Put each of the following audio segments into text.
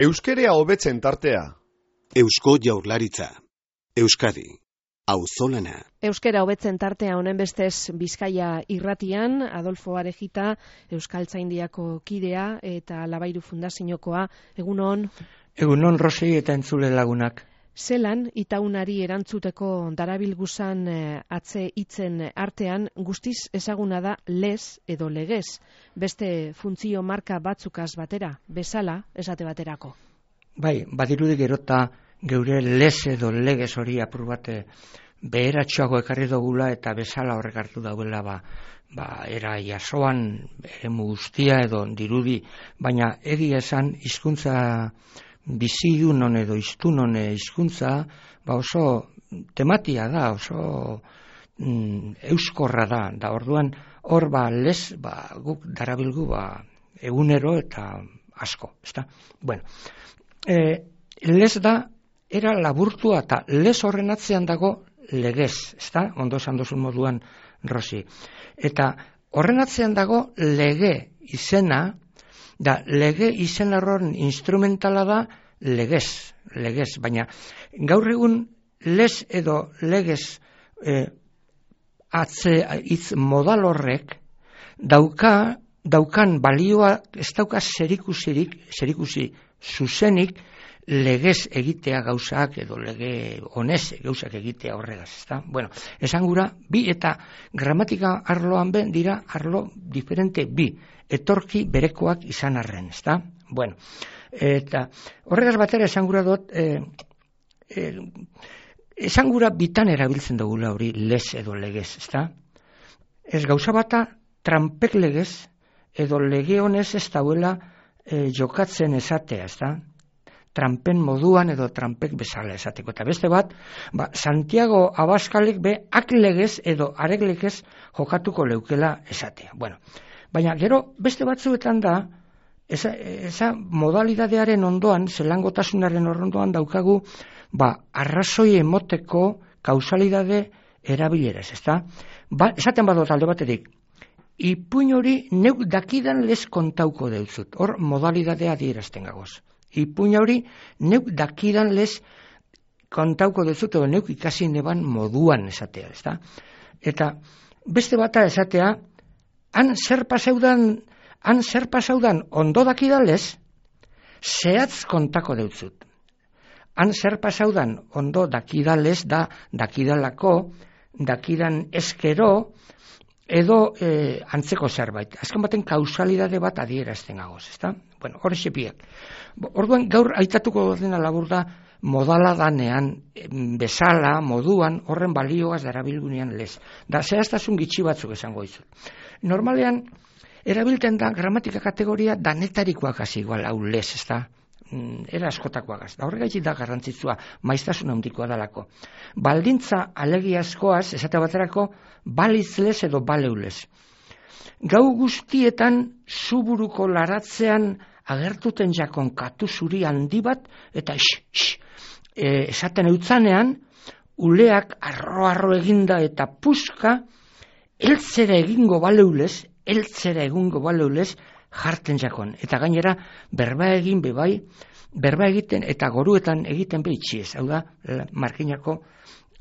Euskerea hobetzen tartea. Eusko Jaurlaritza. Euskadi. Auzolana. Euskera hobetzen tartea honen bestez Bizkaia irratian, Adolfo Arejita, Euskaltzaindiako kidea eta Labairu Fundaziokoa. Egunon? Egunon, Rosi eta entzule lagunak. Zelan, itaunari erantzuteko darabilguzan atze hitzen artean, guztiz ezaguna da lez edo legez, beste funtzio marka batzukaz batera, bezala, esate baterako. Bai, badirudi gerota geure lez edo legez hori apur bate beheratxoago ekarri dugula eta bezala horrek hartu dauela era jasoan eremu guztia edo dirudi, baina egia esan hizkuntza bizidunon edo hiztunon hizkuntza oso tematia da, oso euskorra da orduan hor lez guk darabilgu egunero eta asko, ezta? Bueno, lez da era laburtua eta lez horren atzean dago legez, ezta? Ondo esan duzun moduan, Rosi. Eta horren atzean dago lege izena, da lege izen horren instrumentala da legez, baina gaur egun lez edo legez hitz modal horrek daukan balioa ez dauka zerikusi zuzenik legez egitea gauzak edo lege honez gauzak egitea horregaz, ezta? Bueno, esan gura, bi eta gramatika arloan dira arlo diferente bi, etorki berekoak izan arren, ezta? Bueno, eta horregaz batera esan gura dut, esan gura bitan erabiltzen dugula hori lez edo legez, ezta? Ez gauza bata tranpek legez edo lege honez ez dauela jokatzen esatea, ezta? Trampen moduan edo trampek bezala esateko. Eta beste bat, Santiago Abaskalek ak legez edo arek legez jokatuko leukela esatea. Bueno, baina gero beste batzuetan da, esa modalidadearen ondoan, zelangotasunaren ondoan daukagu, arrazoi emoteko kausalidade erabileraz, ezta? Esaten badot alde batetik, ipuin hori neuk dakidan lez kontauko deutzut. Hor modalidadea adierazten gagoz. Ipuin hori neuk dakidan lez kontauko deutzut, edo neuk ikasi neban moduan esatea, ezta? Eta beste bata esatea, han zer pasaudan ondo dakidan lez, zehatz kontako deutzut. Han zer pasaudan ondo dakidan lez da dakidalako, dakidan eskero, edo antzeko zerbait. Azken baten kausalidade bat adierazten gagoz, ezta? Bueno, hori sepiak. Orduan gaur aitatuko dena labur da modala danean, bezala, moduan, horren balioaz darabilgunean lez. Da zehaztasun gitxi batzuk esango dizut. Normalean, erabilten da gramatika kategoria danetarikoak hasi igual hau lez, ezta? Era askotakoagaz. Da horregaitik da garrantzitsua, maiztasun handikoa dalako. Baldintza alegiazkoaz, esate baterako, balitz lez edo baleulez. Gau guztietan zuburuko laratzean agertuten jakon katu zuri handi bat, eta esaten eutzanean, uleak arro eginda eta puska, eltzera egingo baleulez, jarten jakon. Eta gainera, berba egiten eta goruetan egiten behitxiez. Hau da, markinako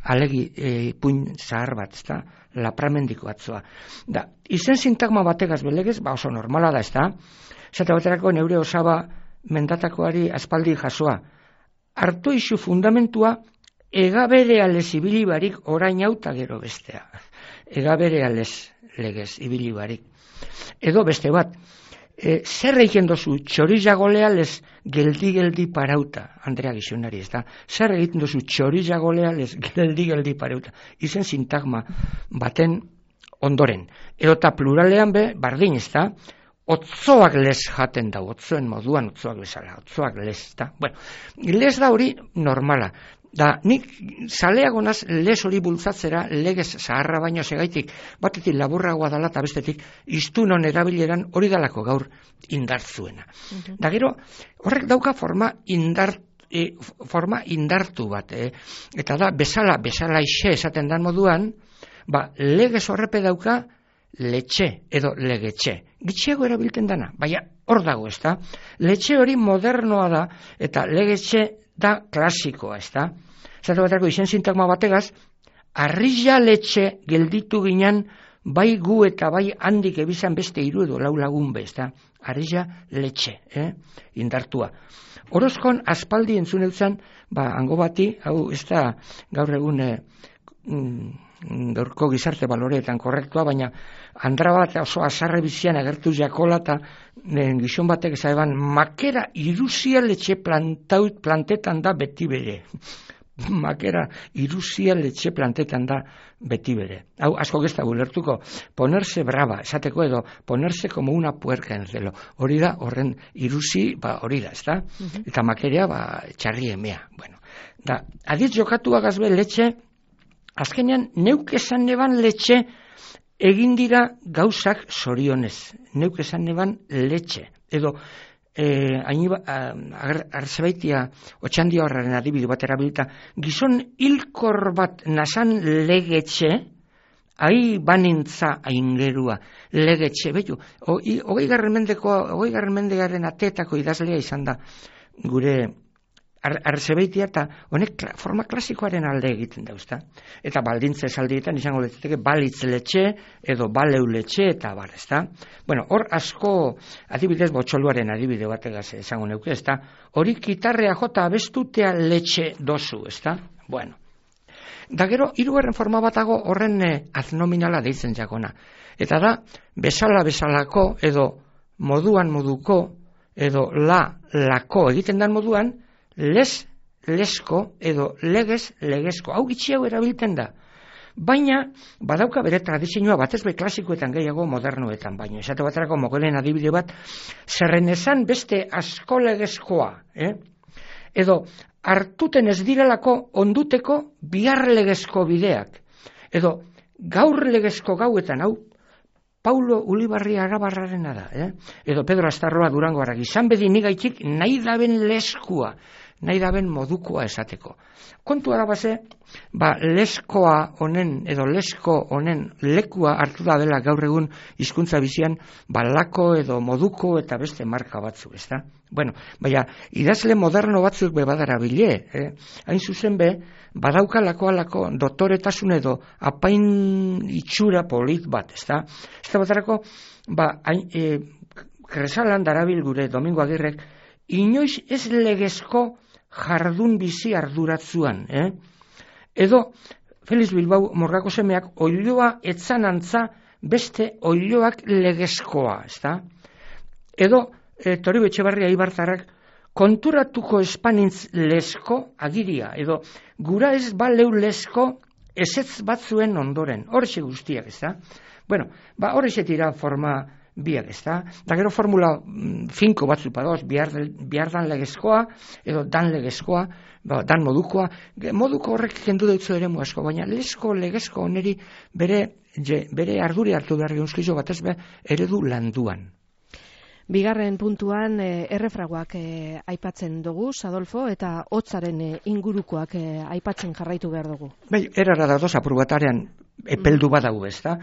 alegi puin zahar bat, ezta? Lapramendiko atzoa. Da, izen sintagma bategaz belegez, oso normala da, ezta? Zata baterako neure osaba mendatakoari aspaldi jasoa. Hartu izu fundamentua, egaberealez ibilibarik orain hauta gero bestea. Egaberealez legez ibilibarik. Edo beste bat, zer egiten dozu txorizagolealez geldi parauta, Andrea Gizionari, ez da? Zer egiten dozu txorizagolealez geldi parauta, izen sintagma baten ondoren. Edota pluralean bardin, ez da? Otzoak lez jaten da, otzoen moduan otzoak bezala, otzoak lez, ez da? Bueno, lez da hori normala. Da, nik zaleago naz lez hori bultzatzera legez zaharra baino segaitik, batetik laburragoa dala eta bestetik iztunon erabileran hori dalako gaur indartzuena. Da gero, horrek dauka forma indartu bat, eta da, bezala ixe esaten dan moduan, legez horrepe dauka letxe edo legetxe. Gitxiago erabiltzen dana, baina hor dago, ez da? Letxe hori modernoa da, eta legetxe da klasikoa, ez da? Zatu baterako izen sintagma bategaz, arrilla letxe gelditu ginen, bai gu eta bai handik ebizan beste 3 edo 4 lagun be, ez da? Arrilla letxe, indartua. Orozkon aspaldi entzun eutzen, hango bati, hau ez da gaur egun gaurko gizarte baloreetan korrektua, baina andra bat oso azarre bizian agertu jakola eta gizon batek ezaban, makera iruzialetxe plantetan da beti bere. Makera iruzialetxe plantetan da beti bere. Hau, asko gezta gulertuko, ponerse brava, esateko edo, ponerse como una puerca en celo. Hori da, horren iruzi, hori da, ez da? Eta makerea, txarri emea. Bueno, da, adiz jokatu agazbe letxe, azkenean, neuk esan neban letxe egin dira gauzak zorionez. Neuk esan neban letxe. Edo, arzebaitia otxandia horraren adibide bat erabilita, gizon hilkor bat nasan legetxe, ahi banintza aingerua, legetxe, betu, 20. mendegaren ateetako idazlea izan da, gure arzebaitia eta honek forma klasikoaren alde egiten dauzta. Eta baldintza esaldietan izango letzateke balitz letxe edo baleu letxe eta bar, ezta? Bueno, hor asko adibidez botxoluaren adibide bategaz esango neuke, ezta? Hori kitarrea jota abestutea letxe dozu, ezta? Bueno. Da gero, 3. forma batago horren aznominala deitzen jakona. Eta da, bezalako edo moduan moduko edo lako egiten dan moduan, lesko edo legezko. Hau gitxiago erabiltzen da. Baina, badauka bere tradizioa batez be klasikoetan gehiago modernoetan, baina esate baterako mogelen adibide bat, zerren esan beste asko legezkoa, edo hartuten ez direlako onduteko bihar legezko bideak, edo gaur legezko gauetan, hau, Paulo Ulibarri Arabarrarena da, edo Pedro Astarroa Durango Aragi, izan bedi nigaitik nahi daben leskua, nahi daben modukoa esateko. Kontu arabaze, leskoa honen edo lesko honen lekua hartu da dela gaur egun hizkuntza bizian, lako edo moduko eta beste marka batzuk, ezta? Bueno, baina idazle moderno batzuk be badara bile, hain zuzen be, badauka lakoalako doktoretasun edo apain itxura polit bat, ezta? Ez da batarako, Kresalan darabil gure Domingo Agirrek, inoiz ez legezko jardun bizi arduratzuan, Edo, Feliz Bilbao Morgako semeak oiloa etzan antza beste oiloak legezkoa, ezta? Edo, Toribe Etxebarria Ibartarrak konturatuko espanintz lesko agiria, edo gura ez baleu lesko ezetz batzuen ondoren, horxe guztiak, ezta? Bueno, horxe tira forma biak, ezta? Da gero formula finko batzuk padoz, bihar dan legezkoa, edo dan legezkoa, dan modukoa, moduko horrek kendu deutzu ere asko, baina lesko legezko oneri bere arduri hartu behar geunskizo batez be eredu landuan. Bigarren puntuan errefragoak aipatzen dugu, Adolfo, eta hotzaren ingurukoak aipatzen jarraitu behar dugu. Bai, erara da doz apur batarean epeldu badago, ez da?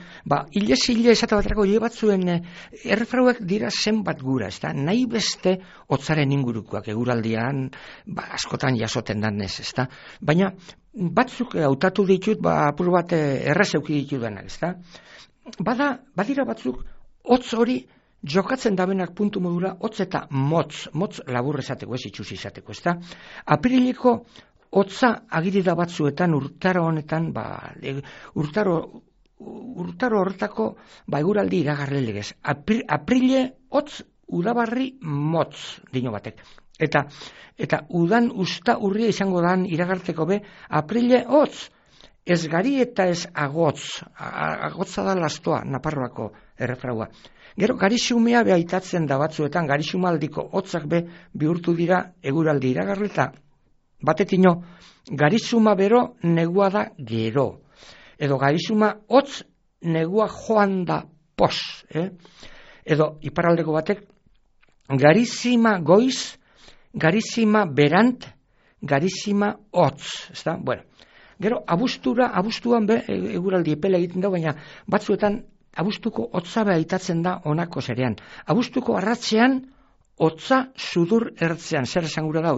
Hilez esate baterako hile batzuen errefragoak dira zenbat gura, ez da? Nahi beste hotzaren ingurukoak eguraldian askotan jasoten danez, ez da? Baina batzuk hautatu ditut, apur bat errazeuki ditudanak, ez da? Badira batzuk hotz hori jokatzen dabenak puntu modura, hotz eta motz labur esateko, ez itxusi izateko, ez da? Apriliko hotza agirida batzuetan urtaro honetan, urtaro horretako eguraldi iragarle legez. Aprile hotz udabarri motz dino batek. Eta udan usta urria izango dan iragarteko be, aprile hotz, ez gari eta ez agotz. Agotza da lastoa, Naparroako errefraua. Gero, garixumea behaitatzen da batzuetan, garixumaldiko hotzak be bihurtu dira eguraldi iragarle eta batetino, garixuma bero negua da gero. Edo garixuma hotz negua joan da pos. Edo iparraldeko batek, garizima goiz, garizima berant, garizima hotz. Bueno, gero, abuztuan be eguraldi epele egiten da, baina batzuetan abuztuko hotza aitatzen da honako zerean. Abuztuko arratzean hotza sudur ertzean, zer esan gura da,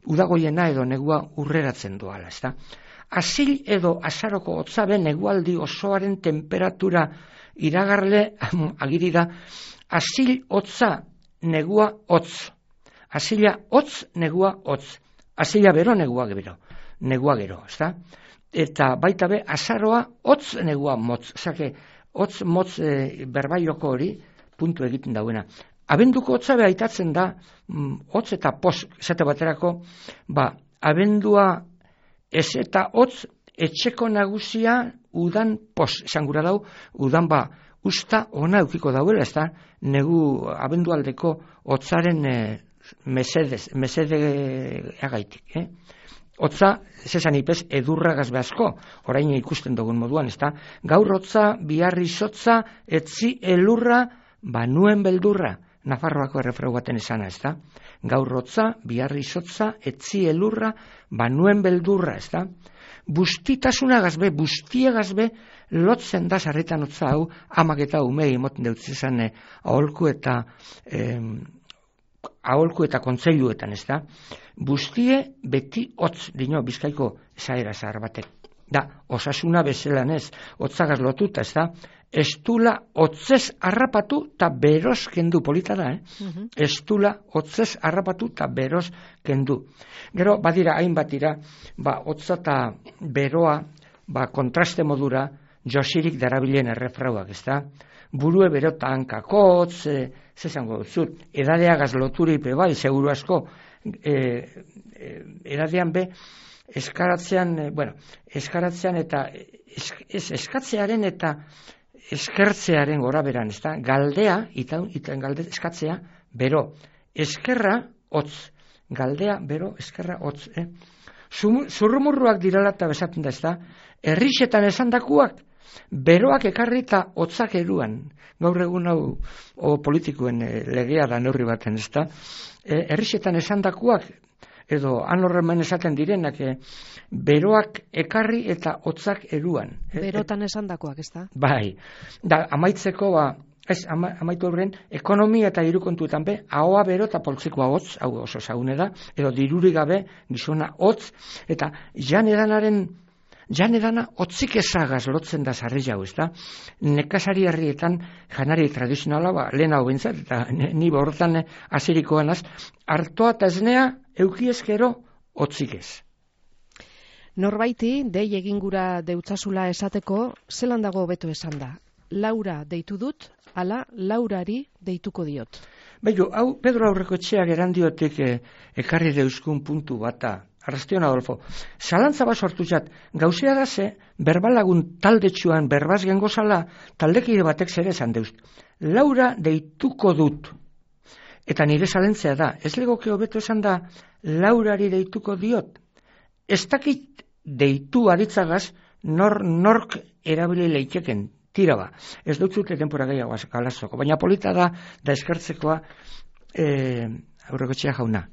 udagoiena edo negua urreratzen doala, ezta? Asil edo azaroko hotza be negualdi osoaren temperatura iragarle agiri da, asil hotza negua hotz. Asila hotz negua hotz. Asila bero negua gero, ezta? Eta baita be azaroa hotz negua motz. Osake, hotz motz berbaioko hori puntu egiten dauena. Abenduko hotza be aitatzen da, hotz eta pos, esate baterako, abendua ez eta hotz etxeko nagusia udan pos, esan gura dau, udan usta ona eukiko dauela, ez da, negu abendualdeko hotzaren mesede agaitik, Hotza, zesan ipez, edurragaz behazko, orain ikusten dugun moduan, ez da, gaur hotza, biharri izotza, etzi elurra, banuen beldurra, Nafarroako errefrau baten esana, ez da? Gaur hotza, biharri izotza, etzi elurra, banuen beldurra, ez da? Bustitasunagaz be, bustiagaz be, lotzen da sarritan hotza hau, amak eta umei emoten deutz izan aholku eta kontseiluetan, ez da? Bustie beti hotz, dino, Bizkaiko esaera zahar batek. Da, osasuna bezelan ez, hotzagaz lotuta, ez da? Estula hotzez harrapatu eta beroz kendu, polita da, Estula hotzez harrapatu eta beroz kendu. Gero, badira, hainbat dira, hotza eta beroa, kontraste modura, josirik darabilen errefrauak, ez da? Burue bero hankakotz, zezango zut, edadeagaz loturipe bai, seguru asko, edadean be, eskaratzean eta eskatzearen eta eskertzearen gora beran, ez da? Galdea, eskatzea, bero, eskerra, hotz. Galdea, bero, eskerra, hotz. Zurrumurruak dirala eta besatzen da, ez da? Herrixetan esandakuak, beroak ekarri eta hotzak eruan. Gaur egun hau politikoen legea da neurri baten, ez da? Herrixetan esandakuak, edo anorremen esaten direnak, beroak ekarri eta hotzak eruan. Berotan esandakoak, ez da? Bai, da, amaitzeko, amaitu horren, ekonomia eta diru kontuetan be, ahoa bero eta poltsikoa hotz, hau oso zagune da, edo diruri gabe, gizona hotz, eta janedana hotzik ezagaz lotzen da sarri jau, ez da? Nekazari herrietan janari tradizionala, lehen hau bintzat, eta ni borrotan azirikoanaz, hartoa eta esnea eukiezkero hotzik ez. Norbaiti, dei egingura deutzasula esateko, zelan dago hobeto esan da? Laura deitu dut, ala Laurari deituko diot. Bello, hau Pedro Aurrekoetxeak erandiotik ekarri deuzkun puntu bata. Arrastion Adolfo, zalantza bat sortu jat, gauzea da ze, berbalagun taldetxuan berbaz gengozala, taldekide batek zer esan deuz. Laura deituko dut. Eta nire zalentzea da, ez legoke hobeto esan da, Laurari deituko diot. Ez dakit deitu aditzagaz, nork erabili leiteken, tira ba. Ez dutzute denpora gehiago galazoko, baina polita da eskertzekoa Aurrekoetxea jauna.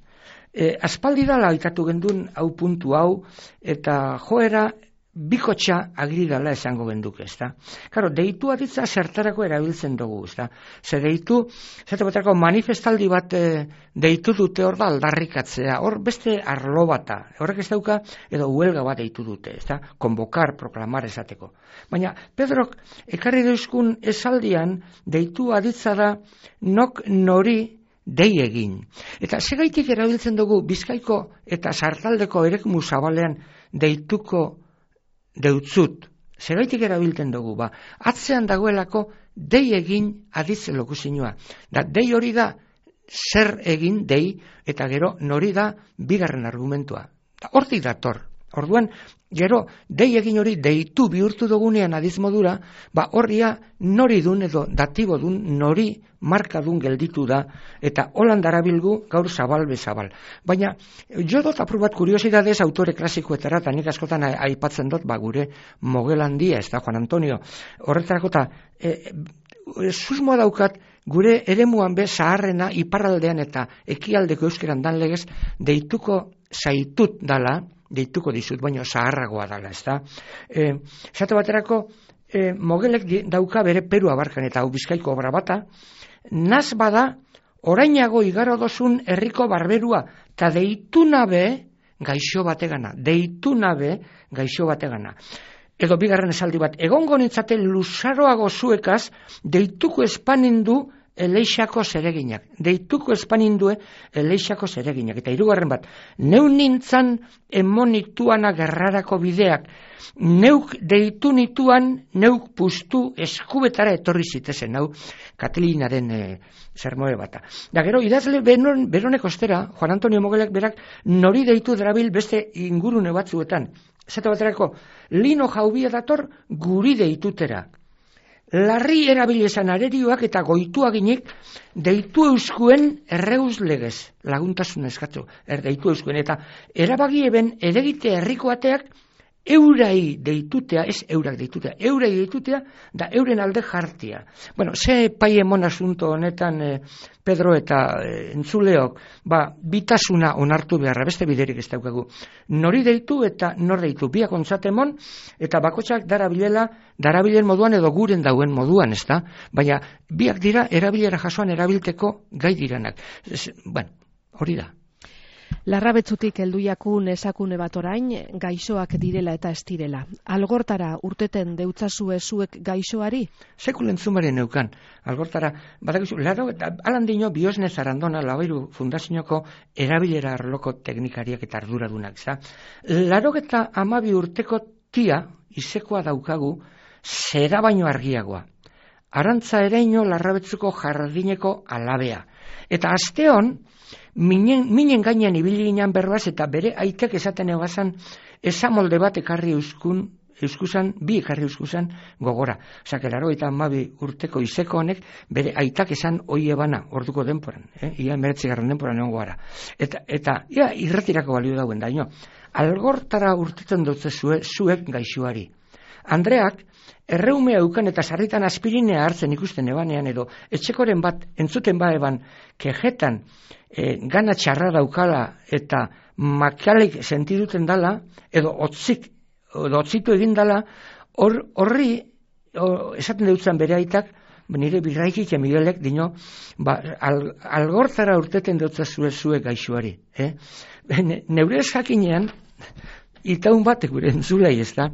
Aspaldi dala aitatu gendun hau puntu hau, eta joera bikotxa agiri dala esango genduke, ez da? Karo, deitu aditza zertarako erabiltzen dugu, ez da? Ze deitu, zate baterako manifestaldi bat deitu dute hor da aldarrikatzea, hor beste arlo bata, horrek ez dauka, edo huelga bat deitu dute, ez da? Konbokar, proklamar esateko. Baina, Pedrok, ekarri deuzkun esaldian, deitu aditza da, nok nori dei egin. Eta segaitik erabiltzen dugu Bizkaiko eta Sartaldeko erekmu zabalean deituko deutzut. Segaitik erabiltzen dugu, atzean dagoelako dei egin aditze lokuzinua. Da, dei hori da zer egin dei, eta gero nori da bigarren argumentua. Hortik dator. Orduan, gero, dei egin hori deitu bihurtu dugunean adiz modura, horria nori dun edo datibo dun nori markadun gelditu da, eta holan darabilgu gaur zabal bezabal. Baina, jo dut aprobat kuriosidadez autore klasikoetara, eta nik askotan aipatzen dut, gure Mogel handia, ez da Juan Antonio, horretarako eta susmoa daukat, gure eremuan be zaharrena iparraldean eta ekialdeko euskeran dan legez, deituko zaitut dala, deituko dizut, baina zaharragoa dala, ez da. Zate baterako, Mogelek dauka bere Peru abarkan eta hau Bizkaiko obra bata, naz bada orainago igaro dozun herriko barberua, eta deitu nabe gaixo bategana, Edo bigarren esaldi bat, egongo nintzate luzaroago zuekaz, deituko espanindu Eleixako zereginak. Eta hirugarren bat, neu nintzan emonituana gerrarako bideak, neuk deitu nituan, neuk puztu eskubetara etorri zitezen, hau Katelinaren sermoe bata. Da gero, idazle beronek ostera, Juan Antonio Mogelek berak nori deitu darabil beste ingurune batzuetan. Zeta baterako, lino jaubia dator guri deitutera. Larri erabilizan arerioak eta goituaginik deitu euskuen erreuz legez, laguntasun eskatu, deitu euskuen, eta erabagi eben edegite herrikoateak eurai deitutea, ez eurak deitutea, eurai deitutea, da euren alde jartia. Bueno, ze paiemon asunto honetan Pedro eta entzuleok, bitasuna onartu beharra, beste biderik ez daukagu. Nori deitu eta nor deitu, biak ontzatemon, eta bakotxak darabilen moduan edo guren dauen moduan, ez da? Baina biak dira erabilera jasoan erabilteko gai diranak. Bueno, hori da. Larrabetzutik helduiakun esakune bat orain, gaixoak direla eta ez direla. Algortara urteten deutzazue zuek gaixoari? Sekul entzumaren neukan. Algortara, badakizu, alan dino Biosne Zarandona Labairu Fundazioko erabilera arloko teknikariak eta arduradunak. 82 urteko tia, izekoa daukagu, zera baino argiagoa. Arantza ereino Larrabetzuko jardineko alabea. Eta asteon, minen gainean ibili ginen berbaz eta bere aitek esaten egazan esamolde bat ekarri bi ekarri euskuzan gogora. Osa, kelaro eta 12 urteko izeko honek bere aitak esan oie bana orduko denporan. Ia 19. denporan egon gara. Eta ia irretirako balio dauen daino. Algortara urtetzen dutze zuek gaixoari. Andreak, erreumea eukan eta sarritan aspirinea hartzen ikusten ebanean edo etxekoren bat entzuten eban kejetan gana txarra daukala eta makalik sentiduten dala edo otzitu egin dala horri esaten deutzan bere aitak nire birraikik Miguelek dino algortara urteten deutza zuek gaixoari. Neure eskakinean itaun batek gure entzulei, ez da?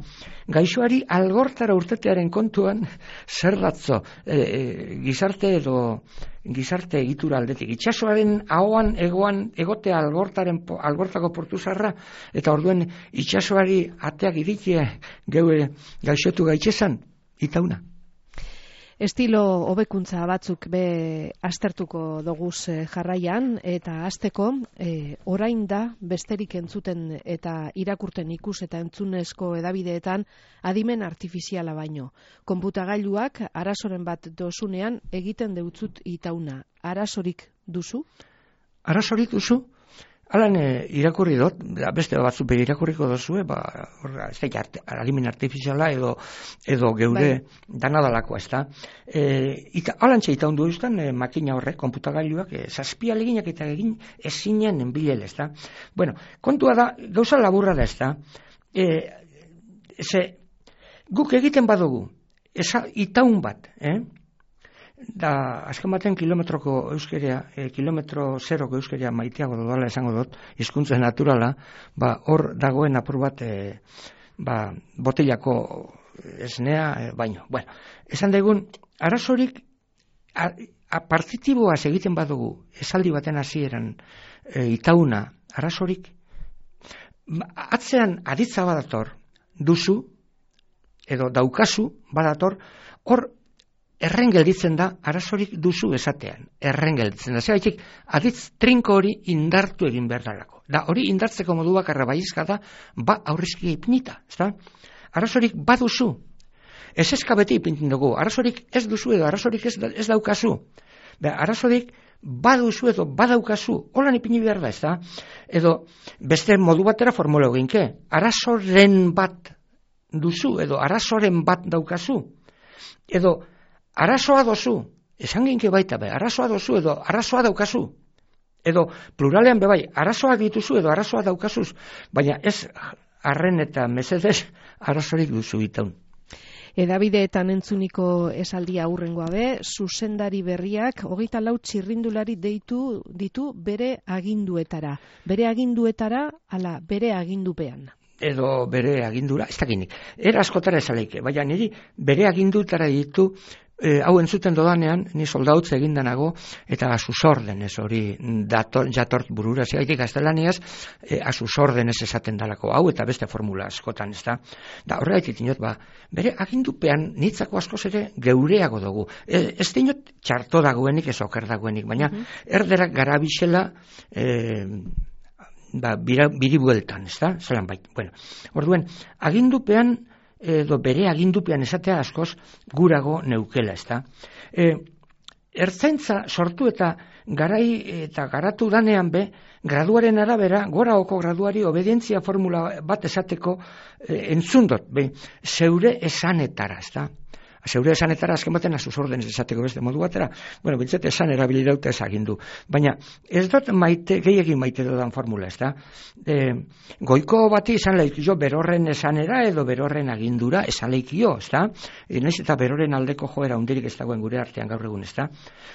Gaixoari algortara urtetearen kontuan zer datzo gizarte egitura aldetik. Itxasoaren ahoan egotea algortako portu zarra, eta orduen itxasoari ateak irikie geue gaixotu gaitxezan, itauna. Estilo hobekuntza batzuk be aztertuko doguz jarraian, eta hasteko orain da besterik entzuten eta irakurten ikus eta entzunezko edabideetan adimen artifiziala baino. Konputagailuak arazoren bat dozunean egiten deutzut itauna. Arazorik duzu? Arazorik duzu? Alan irakurri dut, beste batzu bere irakurriko dozue, ez da alimen artifiziala edo geure danadalakoa, ez da. Alan txeita hundu eustan, makina horrek, konputagailuak, zazpia leginak eta egin ezinen enbilel, ez da. Bueno, kontua da, gauza laburra da, ez da. Guk egiten badugu, itaun bat, da azken baten kilometroko euskeria, kilometro zeroko euskeria maiteago dudala esango dut, hizkuntza naturala, hor dagoen apur bat botellako esnea baino. Bueno, esan degun, arazorik partitiboaz egiten badugu, esaldi baten hasieran itauna, arazorik, atzean aditza badator, duzu, edo daukazu badator, hor erren gelditzen da, arazorik duzu esatean. Erren gelditzen da. Zeraitik, aditz trinko hori indartu egin behar dalako. Da, hori indartzeko modu bakarra baizka da, aurrizki ipinita. Arazorik baduzu. Ez eskabeti ipintin dugu. Arazorik ez duzu edo arazorik ez daukazu. Arazorik baduzu edo badaukazu. Holan ipini behar da, ez da? Edo, beste modu batera formula eginke. Arazoren bat duzu edo arazoren bat daukazu. Edo, arazoa dozu, esan ginke baita arazoa dozu edo arazoa daukazu. Edo pluralean bebai, arazoak dituzu edo arazoa daukazuz, baina ez arren eta mesedez arazorik duzu itaun. Edabideetan entzuniko esaldia aurrengoa be, zuzendari berriak 24 txirrindulari deitu ditu bere aginduetara. Bere aginduetara, ala bere agindupean. Edo bere agindura, ez dakinik. Era askotara esaleike, baina niri bere agindutara ditu, hau entzuten dodanean, ni soldautze egindanago, eta asusorden ez hori jatort burura, zegaitik gaztelaniaz, asusorden ez esaten dalako hau, eta beste formula askotan, ez da. Da horregaitik dinot, bere agindupean nitzako askoz ere geureago dugu. Ez dinot txarto dagoenik, ez oker dagoenik, baina erderak garabixela, biri bueltan, ez da? Zelan bait. Bueno, orduen, agindupean, edo bere agindupean esatea askoz gurago neukela, ez da? Ertzaintza sortu eta garai eta garatu danean be, graduaren arabera, goraoko graduari obedientzia formula bat esateko entzundot, be, zeure esanetara, ez da? Zeure esanetara azken baten asusorden esateko beste modu batera, bueno, bintzat esan erabili daute ez agindu. Baina ez dut gehiagin maite dudan formula, ez da? Goiko bati esan leikio berorren esanera edo berorren agindura esan leikio, ez da? Naiz eta berorren aldeko joera hundirik ez dagoen gure artean gaur egun, ez da?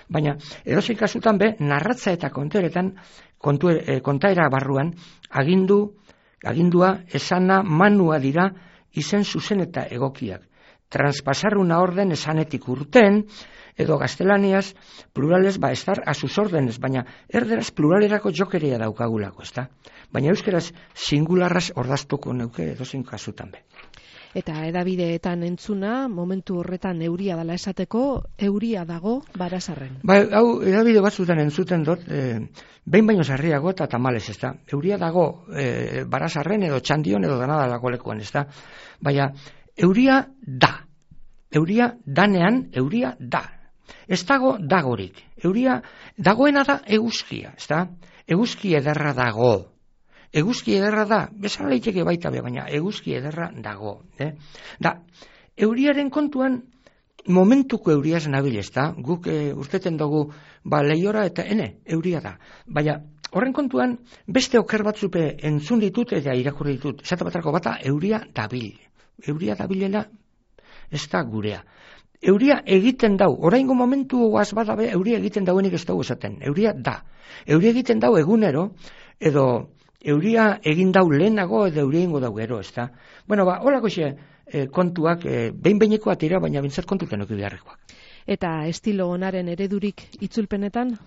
Baina edozein kasutan be, narratza eta konteretan, kontaera barruan, agindua, esana, manua dira, izen zuzen eta egokiak. Transpasar una orden esanetik urten, edo gaztelaniaz, plurales estar a sus órdenes, baina erderaz pluralerako jokeria daukagulako, ez da? Baina euskeraz singularraz ordaztuko neuke edozein kasutan be. Eta edabideetan entzuna, momentu horretan euria dela esateko, euria dago Barazarren. Hau, edabide batzutan entzuten dut, behin baino sarriago eta tamales, ez da? Euria dago Barazarren edo Txandion edo danadalako lekuan, ez da? Baina, euria da. Euria danean, euria da. Ez dago dagorik. Euria dagoena da eguzkia, ez da? Eguzki ederra dago. Eguzki ederra da, bezala leiteke baita be, baina eguzki ederra dago. Da, euriaren kontuan momentuko euriaz nabil, ez da? Guk urteten dugu lehiora eta euria da. Baina horren kontuan beste oker batzupe entzun ditut eta irakurri ditut. Esate batarako bata euria dabil. Euria dabilela ez da gurea. Euria egiten dau, oraingo momentu guaz badabe, euria egiten dauenik ez dugu esaten. Euria da. Euria egiten dau egunero, edo euria egin dau lehenago, edo euria ingo dau gero, ez da. Bueno, holako kontuak, behin-behinekoa tira, baina bintzat kontuten oki beharrekoak. Eta estilo onaren eredurik itzulpenetan?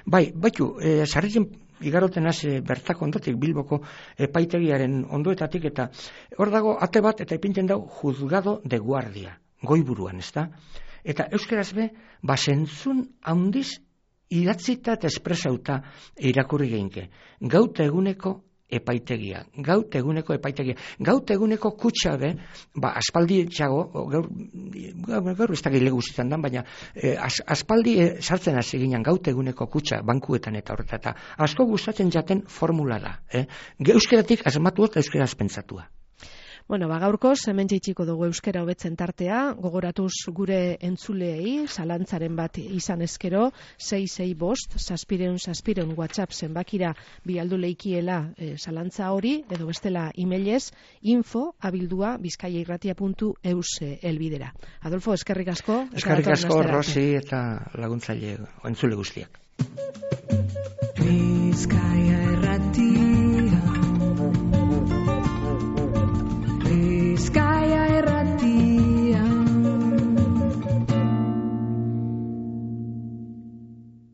Baitu, sarritzen igaroten hasi bertako ondotik Bilboko epaitegiaren ondoetatik, eta hor dago ate bat eta ipintzen dau juzgado de guardia, goiburuan, ez da? Eta euskeraz be, basentzun handiz idatzita eta espresauta irakurri geinke. Gaut eguneko epaitegia. Gaut eguneko kutsa be, aspaldi etxago, gaur ez da gile guztietan dan, baina aspaldi sartzen hasi ginen gaut eguneko kutsa bankuetan eta horreta, eta asko gustatzen jaten formula da. Euskeratik asmatua eta euskeraz pentsatua. Bueno, gaurkoz, hemen jaitsiko dugu euskera hobetzen tartea, gogoratuz gure entzuleei, zalantzaren bat izan ezkero, 665-666 WhatsApp zenbakira bialdu leikiela zalantza hori, edo bestela emailez, info@bizkaiairratia.eus elbidera. Adolfo, eskerrik asko. Eskerrik asko, Rosi, eta laguntzaile entzule guztiak. Bizkaia